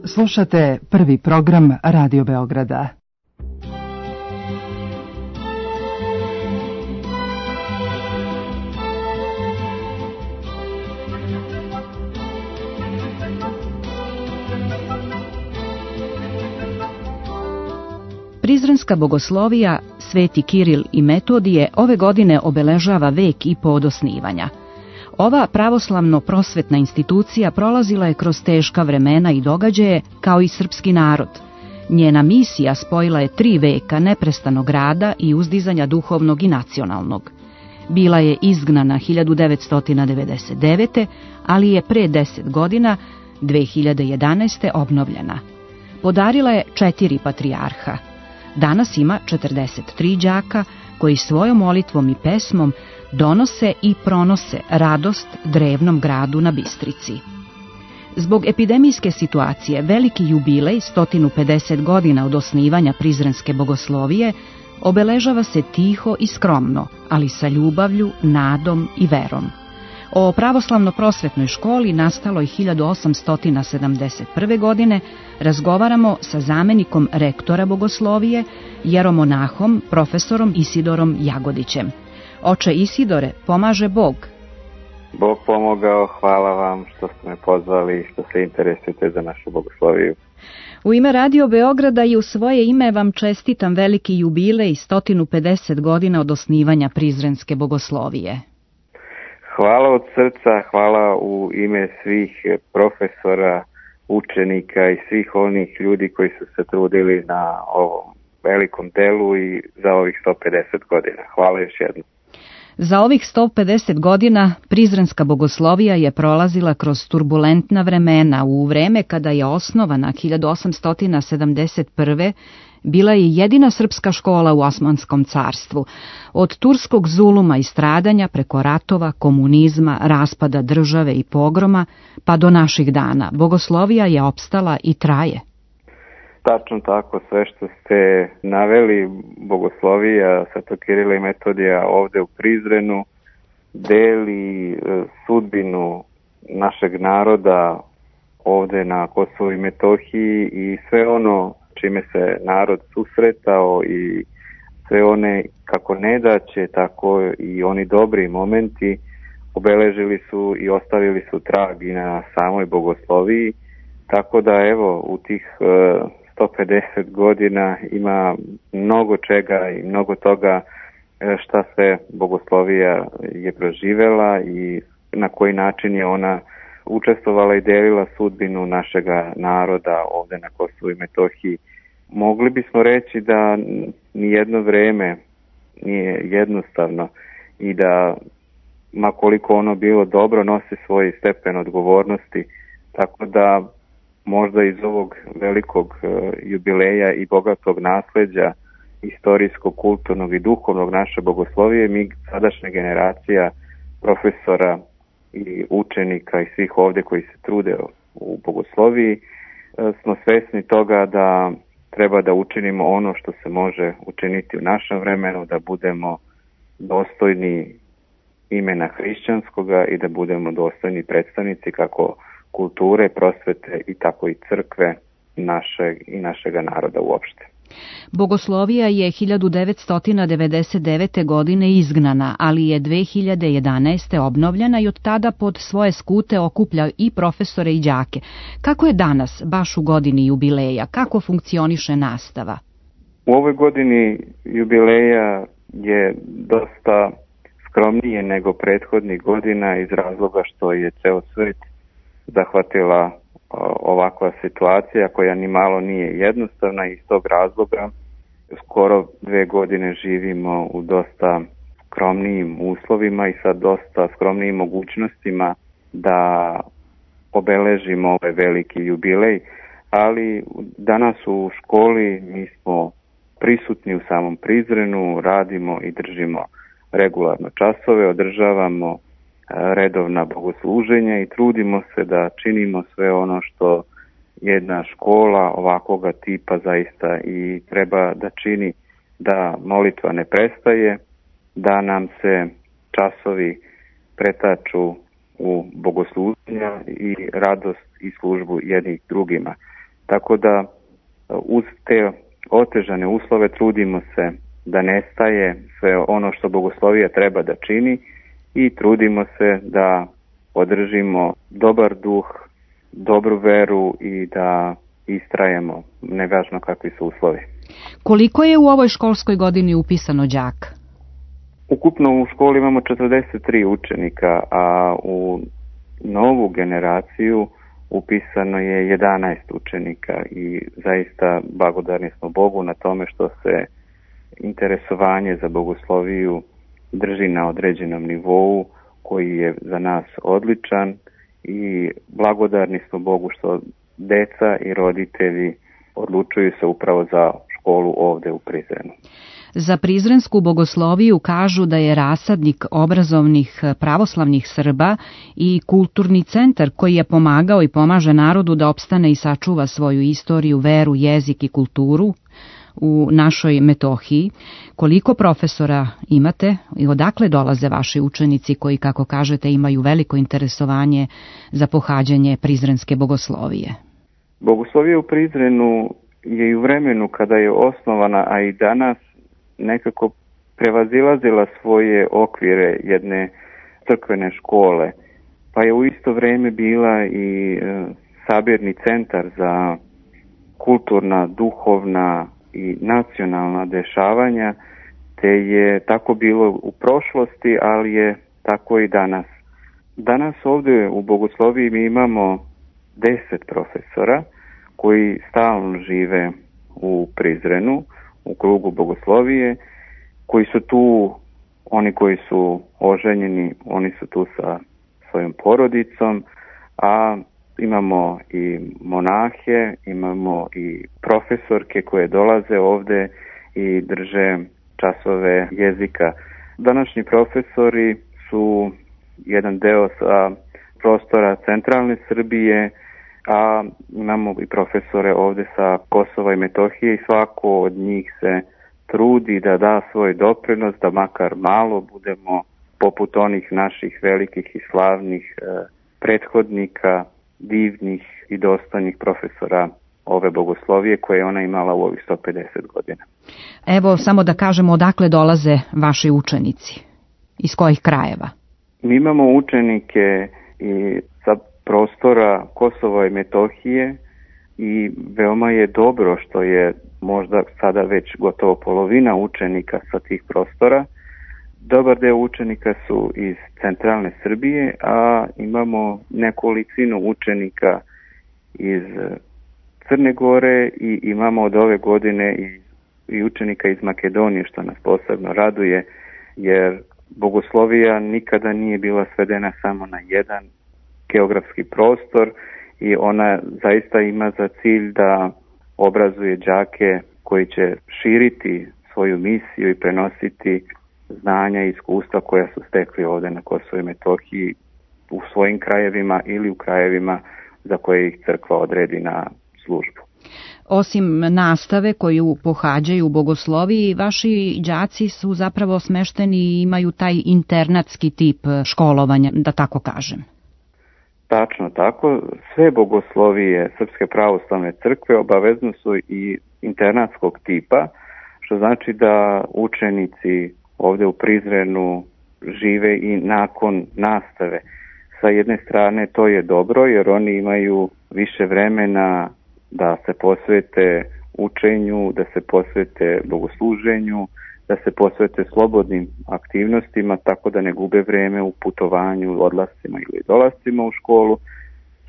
Speaker 1: Slušate prvi program Radio Beograda.
Speaker 2: Prizrenska bogoslovija Sveti Kiril i Metodije ove godine obeležava vek i po od osnivanja. Ova pravoslavno-prosvetna institucija prolazila je kroz teška vremena i događaje kao i srpski narod. Njena misija spojila je 3 veka neprestanog rada i uzdizanja duhovnog i nacionalnog. Bila je izgnana 1999. ali je pre 10 godina, 2011. obnovljena. Podarila je 4 patrijarha. Danas ima 43 đaka koji svojom molitvom i pesmom donose i pronose radost drevnom gradu na Bistrici. Zbog epidemijske situacije veliki jubilej 150 godina od osnivanja Prizrenske bogoslovije obeležava se tiho i skromno, ali sa ljubavlju, nadom i verom. O pravoslavno-prosvetnoj školi nastaloj 1871. godine razgovaramo sa zamenikom rektora bogoslovije, jeromonahom, profesorom Isidorom Jagodićem. Oče Isidore, pomaže Bog.
Speaker 5: Bog pomogao, hvala vam što ste me pozvali i što se interesujete za našu bogosloviju.
Speaker 2: U ime Radio Beograda i u svoje ime vam čestitam veliki jubilej 150 godina od osnivanja Prizrenske bogoslovije.
Speaker 5: Hvala od srca, hvala u ime svih profesora, učenika i svih onih ljudi koji su se trudili na ovom velikom delu i za ovih 150 godina. Hvala još jednom.
Speaker 2: Za ovih 150 godina Prizrenska bogoslovija je prolazila kroz turbulentna vremena. U vreme kada je osnovana 1871. bila je jedina srpska škola u Osmanskom carstvu. Od turskog zuluma i stradanja preko ratova, komunizma, raspada države i pogroma, pa do naših dana, bogoslovija je opstala i traje.
Speaker 5: Tačno tako, sve što ste naveli, bogoslovija Svetog Kirila i Metodija ovde u Prizrenu deli sudbinu našeg naroda ovde na Kosovu i Metohiji i sve ono čime se narod susretao i sve one kako nedaće, tako i oni dobri momenti obeležili su i ostavili su trag i na samoj bogosloviji, tako da evo u tih 150 godina ima mnogo čega i mnogo toga šta se bogoslovija je proživela i na koji način je ona učestvovala i delila sudbinu našega naroda ovde na Kosovu i Metohiji. Mogli bismo reći da nijedno vreme nije jednostavno i da ma koliko ono bilo dobro nosi svoj stepen odgovornosti, tako da možda iz ovog velikog jubileja i bogatog nasleđa istorijskog, kulturnog i duhovnog naše bogoslovije, mi sadašnja generacija profesora i učenika i svih ovde koji se trude u bogosloviji smo svesni toga da treba da učinimo ono što se može učiniti u našem vremenu, da budemo dostojni imena hrišćanskoga i da budemo dostojni predstavnici kako kulture, prosvete i tako i crkve našega naroda uopšte.
Speaker 2: Bogoslovija je 1999. godine izgnana, ali je 2011. obnovljena i od tada pod svoje skute okuplja i profesore i đake. Kako je danas, baš u godini jubileja, kako funkcioniše nastava?
Speaker 5: U ovoj godini jubileja je dosta skromnije nego prethodnih godina iz razloga što je ceo svet zahvatila ovakva situacija koja ni malo nije jednostavna i iz tog razloga skoro 2 godine živimo u dosta skromnijim uslovima i sa dosta skromnijim mogućnostima da obeležimo ovaj veliki jubilej, ali danas u školi mi smo prisutni u samom Prizrenu, radimo i držimo regularno časove, održavamo redovna bogosluženja i trudimo se da činimo sve ono što jedna škola ovakvoga tipa zaista i treba da čini, da molitva ne prestaje, da nam se časovi pretaču u bogosluženja i radost i službu jednih drugima. Tako da uz te otežane uslove trudimo se da nestaje sve ono što bogoslovija treba da čini i trudimo se da održimo dobar duh, dobru veru i da istrajemo, nevažno kakvi su uslovi.
Speaker 2: Koliko je u ovoj školskoj godini upisano đaka?
Speaker 5: Ukupno u školi imamo 43 učenika, a u novu generaciju upisano je 11 učenika i zaista blagodarni smo Bogu na tome što se interesovanje za bogosloviju drži na određenom nivou koji je za nas odličan i blagodarni smo Bogu što deca i roditelji odlučuju se upravo za školu ovde u Prizrenu.
Speaker 2: Za prizrensku bogosloviju kažu da je rasadnik obrazovnih pravoslavnih Srba i kulturni centar koji je pomagao i pomaže narodu da opstane i sačuva svoju istoriju, veru, jezik i kulturu u našoj Metohiji. Koliko profesora imate i odakle dolaze vaši učenici koji, kako kažete, imaju veliko interesovanje za pohađanje prizrenske bogoslovije?
Speaker 5: Bogoslovija u Prizrenu je i u vremenu kada je osnovana, a i danas nekako prevazilazila svoje okvire jedne crkvene škole, pa je u isto vrijeme bila i sabirni centar za kulturna, duhovna i nacionalna dešavanja, te je tako bilo u prošlosti, ali je tako i danas. Danas ovdje u bogosloviji mi imamo 10 profesora koji stalno žive u Prizrenu, u krugu bogoslovije, koji su tu, oni koji su oženjeni, oni su tu sa svojom porodicom, a imamo i monahe, imamo i profesorke koje dolaze ovde i drže časove jezika. Današnji profesori su jedan deo sa prostora centralne Srbije, a imamo i profesore ovde sa Kosova i Metohije i svako od njih se trudi da da svoj doprinos, da makar malo budemo poput onih naših velikih i slavnih prethodnika, divnih i dostojnih profesora ove bogoslovije koje je ona imala u ovih 150 godina.
Speaker 2: Evo samo da kažemo odakle dolaze vaši učenici, iz kojih krajeva?
Speaker 5: Mi imamo učenike i sa prostora Kosova i Metohije i veoma je dobro što je možda sada već gotovo polovina učenika sa tih prostora. Dobar deo učenika su iz centralne Srbije, a imamo nekolicinu učenika iz Crne Gore i imamo od ove godine i učenika iz Makedonije, što nas posebno raduje, jer bogoslovija nikada nije bila svedena samo na jedan geografski prostor i ona zaista ima za cilj da obrazuje đake koji će širiti svoju misiju i prenositi znanja i iskustva koja su stekli ovde na Kosovu i Metohiji u svojim krajevima ili u krajevima za koje ih crkva odredi na službu.
Speaker 2: Osim nastave koju pohađaju u bogosloviji, vaši đaci su zapravo smešteni i imaju taj internatski tip školovanja, da tako kažem.
Speaker 5: Tačno tako, sve bogoslovije Srpske pravoslavne crkve obavezno su i internatskog tipa, što znači da učenici ovde u Prizrenu žive i nakon nastave. Sa jedne strane to je dobro jer oni imaju više vremena da se posvete učenju, da se posvete bogosluženju, da se posvete slobodnim aktivnostima tako da ne gube vreme u putovanju, odlascima ili dolascima u školu.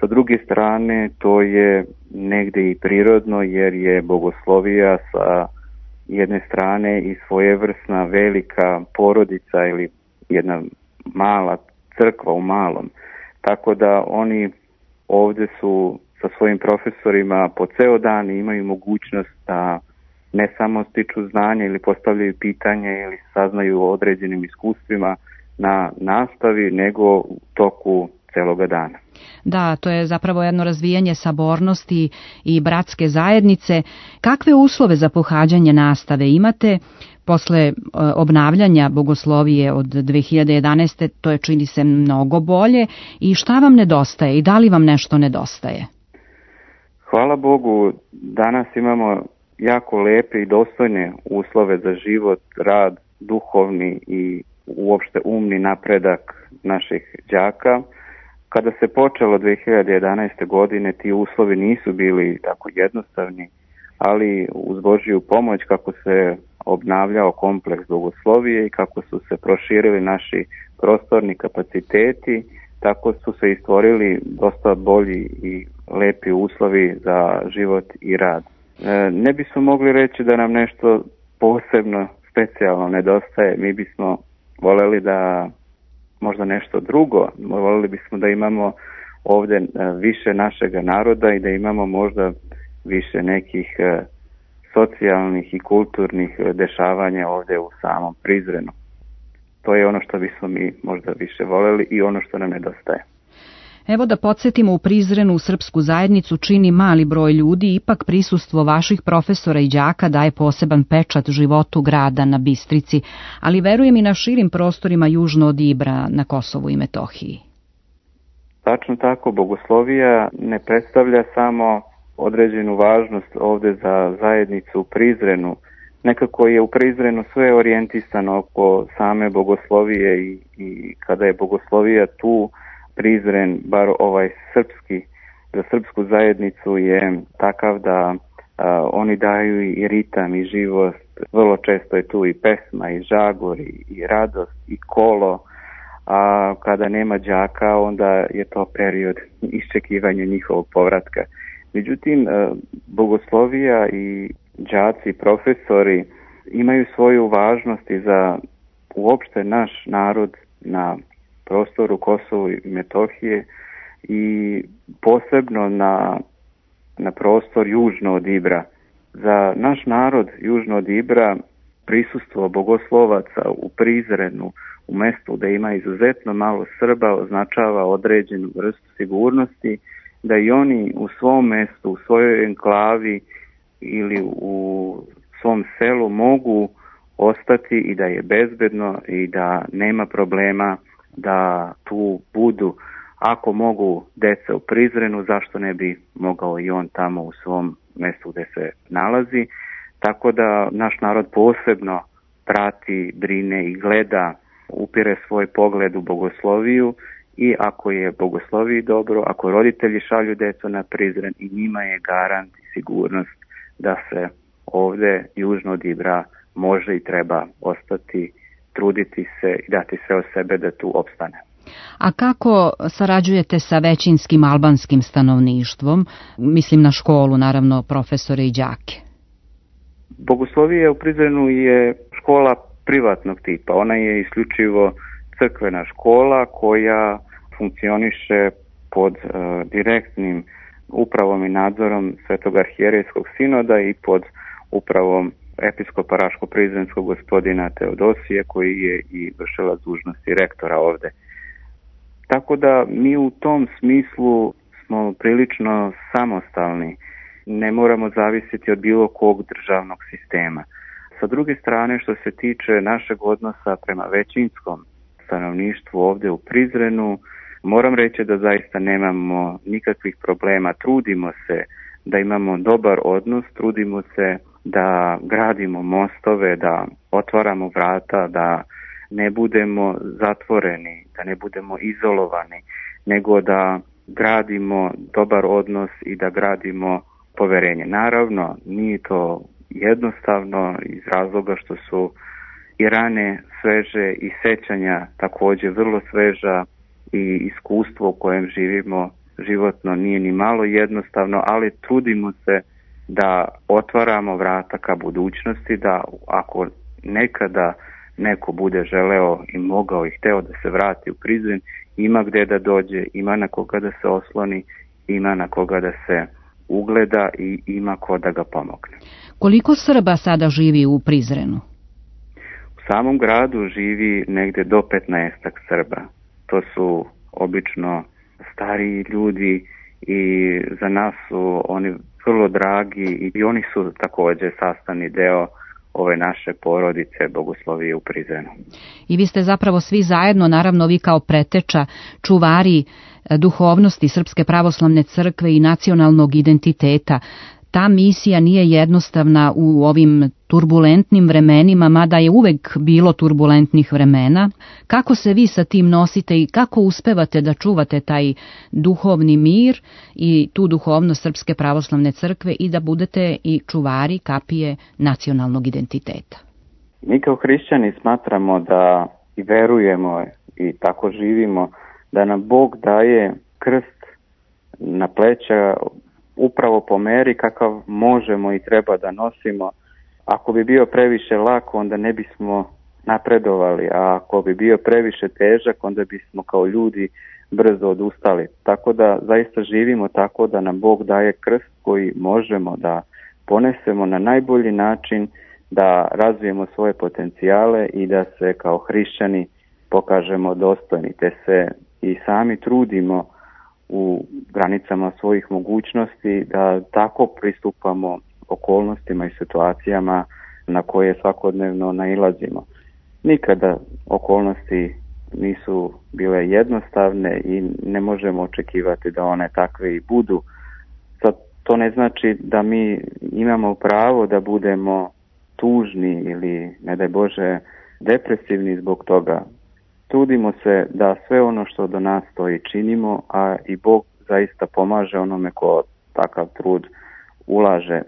Speaker 5: Sa druge strane to je negde i prirodno jer je bogoslovija sa jedne strane i svojevrsna velika porodica ili jedna mala crkva u malom. Tako da oni ovde su sa svojim profesorima po ceo dan i imaju mogućnost da ne samo stiču znanje ili postavljaju pitanje ili saznaju o određenim iskustvima na nastavi, nego u toku celoga dana.
Speaker 2: Da, to je zapravo jedno razvijanje sabornosti i bratske zajednice. Kakve uslove za pohađanje nastave imate posle obnavljanja bogoslovije od 2011. To je, čini se, mnogo bolje. I šta vam nedostaje i da li vam nešto nedostaje?
Speaker 5: Hvala Bogu, danas imamo jako lepe i dostojne uslove za život, rad, duhovni i uopšte umni napredak naših đaka. Kada se počelo 2011. godine, ti uslovi nisu bili tako jednostavni, ali uz Božiju pomoć kako se obnavljao kompleks Bogoslovije i kako su se proširili naši prostorni kapaciteti, tako su se i stvorili dosta bolji i lepi uslovi za život i rad. Ne bismo mogli reći da nam nešto posebno, specijalno nedostaje. Mi bismo voljeli da možda nešto drugo, voljeli bismo da imamo ovde više našega naroda i da imamo možda više nekih socijalnih i kulturnih dešavanja ovde u samom Prizrenu. To je ono što bismo mi možda više voljeli i ono što nam nedostaje.
Speaker 2: Evo da podsjetimo, u Prizrenu srpsku zajednicu čini mali broj ljudi, ipak prisustvo vaših profesora i đaka daje poseban pečat životu grada na Bistrici, ali verujem i na širim prostorima južno od Ibra na Kosovu i Metohiji.
Speaker 5: Tačno tako, Bogoslovija ne predstavlja samo određenu važnost ovde za zajednicu u Prizrenu. Nekako je u Prizrenu sve orijentisano oko same Bogoslovije i kada je Bogoslovija tu, Prizren, bar ovaj srpski, za srpsku zajednicu je takav da oni daju i ritam i živost. Vrlo često je tu i pesma i žagor i radost i kolo, a kada nema đaka onda je to period iščekivanja njihovog povratka. Međutim, Bogoslovija i đaci, profesori imaju svoju važnost i za uopšte naš narod na prostoru Kosovo i Metohije i posebno na prostor južno od Ibra. Za naš narod južno od Ibra prisustvo bogoslovaca u Prizrenu, u mestu da ima izuzetno malo Srba, označava određenu vrstu sigurnosti, da i oni u svom mestu, u svojoj enklavi ili u svom selu mogu ostati i da je bezbedno i da nema problema da tu budu. Ako mogu deca u Prizrenu, zašto ne bi mogao i on tamo u svom mestu gde se nalazi. Tako da naš narod posebno prati, brine i gleda, upire svoj pogled u Bogosloviju i ako je Bogosloviji dobro, ako roditelji šalju decu na Prizren, i njima je garant i sigurnost da se ovde južno od Ibra može i treba ostati, truditi se i dati sve od sebe da tu opstane.
Speaker 2: A kako sarađujete sa većinskim albanskim stanovništvom? Mislim na školu, naravno, profesore i đake.
Speaker 5: Bogoslovija u Prizrenu je škola privatnog tipa. Ona je isključivo crkvena škola koja funkcioniše pod direktnim upravom i nadzorom Svetog arhijerejskog sinoda i pod upravom episkopa Raško-Prizrenskog gospodina Teodosije, koji je i vršilac dužnosti rektora ovde. Tako da mi u tom smislu smo prilično samostalni, ne moramo zavisiti od bilo kog državnog sistema. Sa druge strane, što se tiče našeg odnosa prema većinskom stanovništvu ovde u Prizrenu, moram reći da zaista nemamo nikakvih problema. Trudimo se da imamo dobar odnos, trudimo se da gradimo mostove, da otvaramo vrata, da ne budemo zatvoreni, da ne budemo izolovani, nego da gradimo dobar odnos i da gradimo poverenje. Naravno, nije to jednostavno iz razloga što su i rane sveže i sećanja takođe vrlo sveža i iskustvo u kojem živimo životno nije ni malo jednostavno, ali trudimo se da otvaramo vrata ka budućnosti, da ako nekada neko bude želeo i mogao i hteo da se vrati u Prizren, ima gde da dođe, ima na koga da se osloni, ima na koga da se ugleda i ima ko da ga pomogne.
Speaker 2: Koliko Srba sada živi u Prizrenu?
Speaker 5: U samom gradu živi negde do 15 Srba. To su obično stariji ljudi i za nas su oni vrlo dragi i oni su takođe sastavni deo ove naše porodice Bogoslovije u Prizrenu.
Speaker 2: I vi ste zapravo svi zajedno, naravno vi kao preteča, čuvari duhovnosti Srpske pravoslavne crkve i nacionalnog identiteta. Ta misija nije jednostavna u ovim turbulentnim vremenima, mada je uvek bilo turbulentnih vremena. Kako se vi sa tim nosite i kako uspevate da čuvate taj duhovni mir i tu duhovnost Srpske pravoslavne crkve i da budete i čuvari kapije nacionalnog identiteta?
Speaker 5: Mi kao hrišćani smatramo da i verujemo i tako živimo da nam Bog daje krst na pleća upravo po meri kakav možemo i treba da nosimo. Ako bi bio previše lak, onda ne bismo napredovali, a ako bi bio previše težak, onda bismo kao ljudi brzo odustali. Tako da zaista živimo tako da nam Bog daje krst koji možemo da ponesemo na najbolji način, da razvijemo svoje potencijale i da se kao hrišćani pokažemo dostojni, te se i sami trudimo u granicama svojih mogućnosti da tako pristupamo okolnostima i situacijama na koje svakodnevno nailazimo. Nikada okolnosti nisu bile jednostavne i ne možemo očekivati da one takve i budu. Sad, to ne znači da mi imamo pravo da budemo tužni ili, ne daj Bože, depresivni zbog toga. Trudimo se da sve ono što do nas stoji činimo, a i Bog zaista pomaže onome ko takav trud ulaže.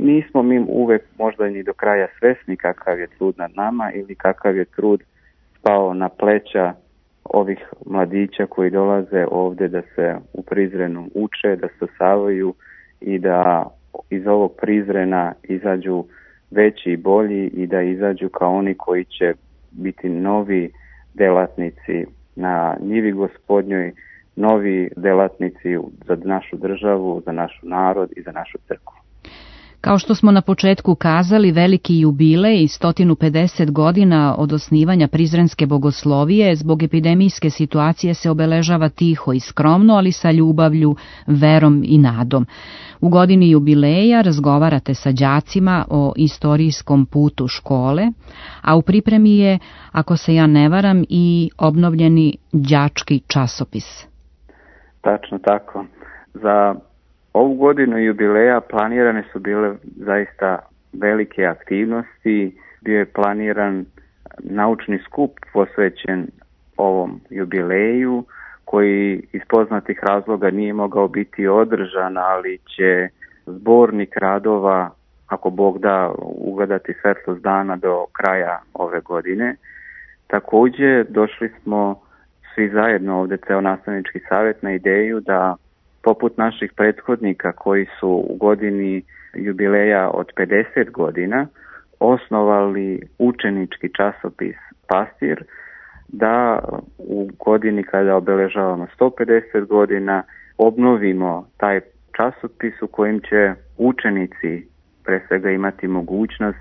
Speaker 5: Nismo mi uvek možda ni do kraja svesni kakav je trud nad nama ili kakav je trud spao na pleća ovih mladića koji dolaze ovde da se u Prizrenu uče, da stasavaju i da iz ovog Prizrena izađu veći i bolji i da izađu kao oni koji će biti novi delatnici na njivi Gospodnjoj, novi delatnici za našu državu, za naš narod i za našu crkvu.
Speaker 2: Kao što smo na početku kazali, veliki jubilej i 150 godina od osnivanja Prizrenske bogoslovije zbog epidemijske situacije se obeležava tiho i skromno, ali sa ljubavlju, verom i nadom. U godini jubileja razgovarate sa đacima o istorijskom putu škole, a u pripremi je, ako se ja ne varam, i obnovljeni đački časopis.
Speaker 5: Tačno tako. Za ovu godinu jubileja planirane su bile zaista velike aktivnosti. Bio je planiran naučni skup posvećen ovom jubileju, koji iz poznatih razloga nije mogao biti održan, ali će zbornik radova, ako Bog da, ugledati svetlost dana do kraja ove godine. Također došli smo svi zajedno ovde, ceo nastavnički savjet, na ideju da poput naših prethodnika koji su u godini jubileja od 50 godina osnovali učenički časopis Pastir, da u godini kada obeležavamo 150 godina obnovimo taj časopis u kojem će učenici pre svega imati mogućnost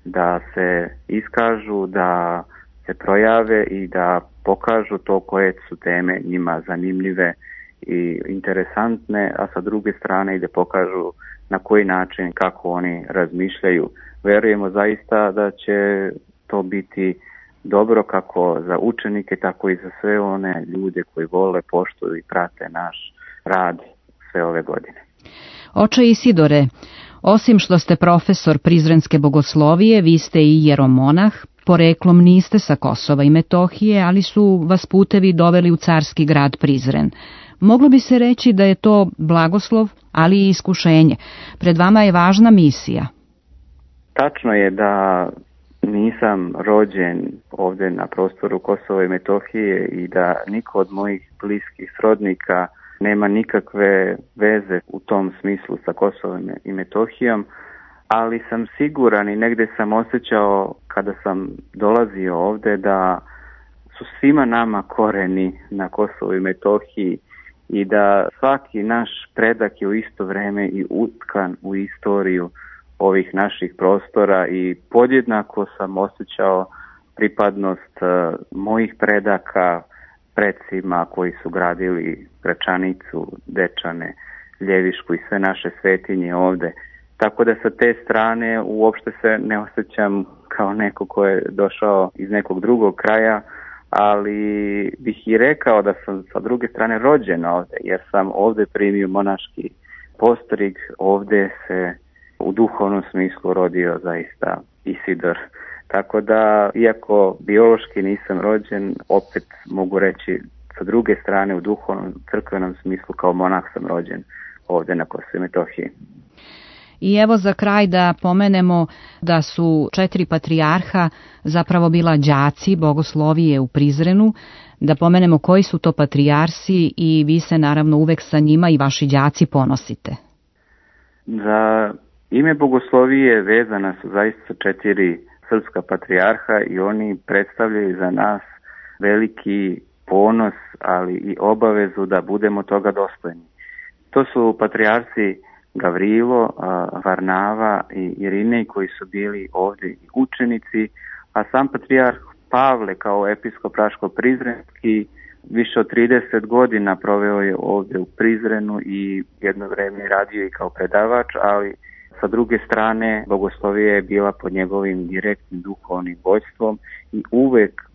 Speaker 5: da se iskažu, da se projave i da pokažu to koje su teme njima zanimljive i interesantne, a sa druge strane i da pokažu na koji način, kako oni razmišljaju. Verujemo zaista da će to biti dobro kako za učenike, tako i za sve one ljude koji vole, poštuju i prate naš rad sve ove godine.
Speaker 2: Oče Isidore, osim što ste profesor Prizrenske bogoslovije, vi ste i jeromonah, poreklom niste sa Kosova i Metohije, ali su vas putevi doveli u carski grad Prizren. Moglo bi se reći da je to blagoslov, ali i iskušenje. Pred vama je važna misija.
Speaker 5: Tačno je da nisam rođen ovde na prostoru Kosova i Metohije i da niko od mojih bliskih srodnika nema nikakve veze u tom smislu sa Kosovom i Metohijom, ali sam siguran i negde sam osjećao kada sam dolazio ovde da su svima nama koreni na Kosovu i Metohiji i da svaki naš predak je u isto vreme i utkan u istoriju ovih naših prostora i podjednako sam osjećao pripadnost mojih predaka, predsima koji su gradili Gračanicu, Dečane, Ljevišku i sve naše svetinje ovde. tako da sa te strane uopšte se ne osjećam kao neko ko je došao iz nekog drugog kraja, ali bih i rekao da sam sa druge strane rođen ovde, jer sam ovde primio monaški postrig, ovde se u duhovnom smislu rodio zaista Isidor. Tako da, iako biološki nisam rođen, opet mogu reći sa druge strane u duhovnom crkvenom smislu kao monah sam rođen ovde na Kosovu i Metohiji.
Speaker 2: I evo za kraj da pomenemo da su 4 patrijarha zapravo bila đaci bogoslovije u Prizrenu, da pomenemo koji su to patrijarsi i vi se naravno uvek sa njima i vaši đaci ponosite.
Speaker 5: Za ime bogoslovije vezana su zaista 4 srpska patrijarha i oni predstavljaju za nas veliki ponos, ali i obavezu da budemo toga dostojni. To su patrijarsi Gavrilo, Varnava i Irinej koji su bili ovdje učenici, a sam patrijarh Pavle kao episkop Raško-Prizrenski više od 30 godina proveo je ovdje u Prizrenu i jedno vreme radio i kao predavač, ali sa druge strane bogoslovija je bila pod njegovim direktnim duhovnim vođstvom i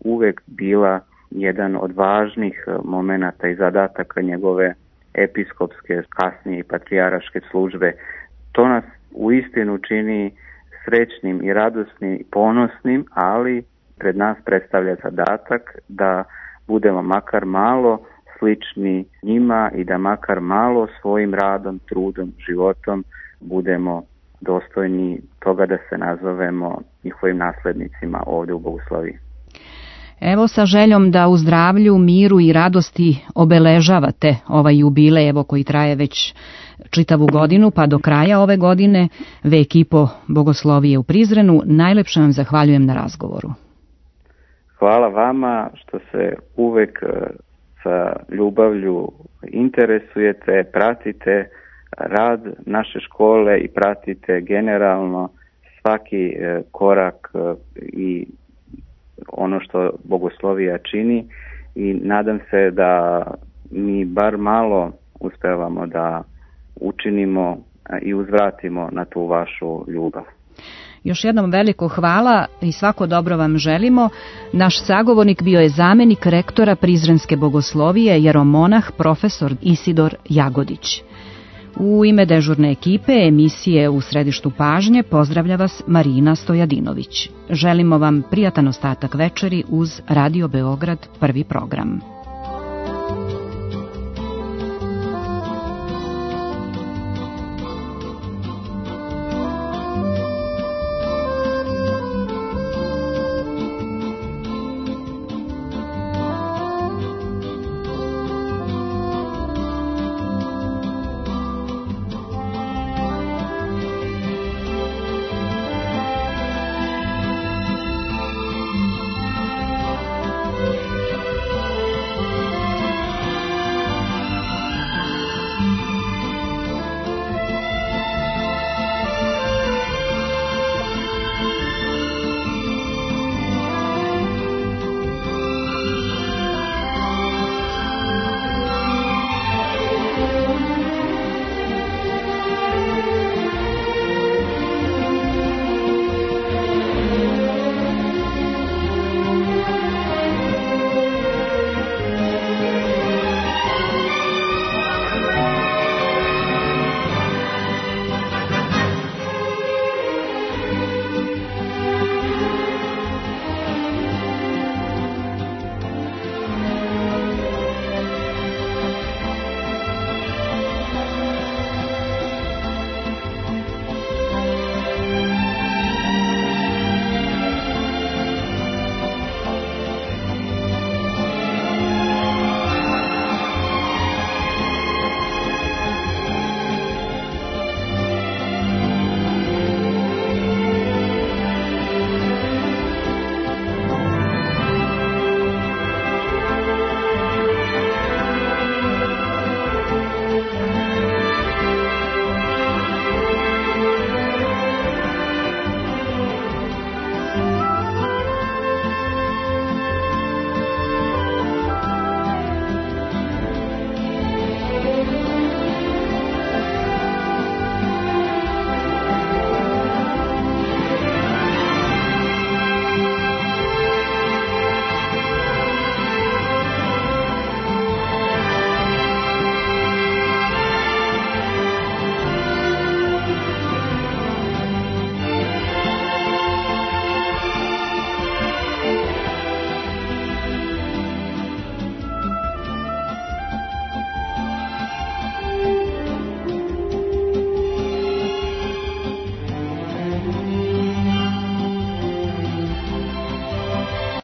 Speaker 5: uvek bila jedan od važnih momenata i zadataka njegove episkopske, kasnije i patrijaraške službe. To nas uistinu čini srećnim i radosnim i ponosnim, ali pred nas predstavlja zadatak da budemo makar malo slični njima i da makar malo svojim radom, trudom, životom budemo dostojni toga da se nazovemo njihovim naslednicima ovdje u Bogosloviji.
Speaker 2: Evo sa željom da u zdravlju, miru i radosti obeležavate ovaj jubilej koji traje već čitavu godinu, pa do kraja ove godine, vek i po Bogoslovije u Prizrenu. Najlepše vam zahvaljujem na razgovoru.
Speaker 5: Hvala vama što se uvek sa ljubavlju interesujete, pratite rad naše škole i pratite generalno svaki korak i ono što Bogoslovija čini i nadam se da mi bar malo uspevamo da učinimo i uzvratimo na tu vašu ljubav.
Speaker 2: Još jednom veliko hvala i svako dobro vam želimo. Naš sagovornik bio je zamenik rektora Prizrenske bogoslovije, jeromonah profesor Isidor Jagodić. U ime dežurne ekipe emisije U središtu pažnje pozdravlja vas Marina Stojadinović. Želimo vam prijatan ostatak večeri uz Radio Beograd, prvi program.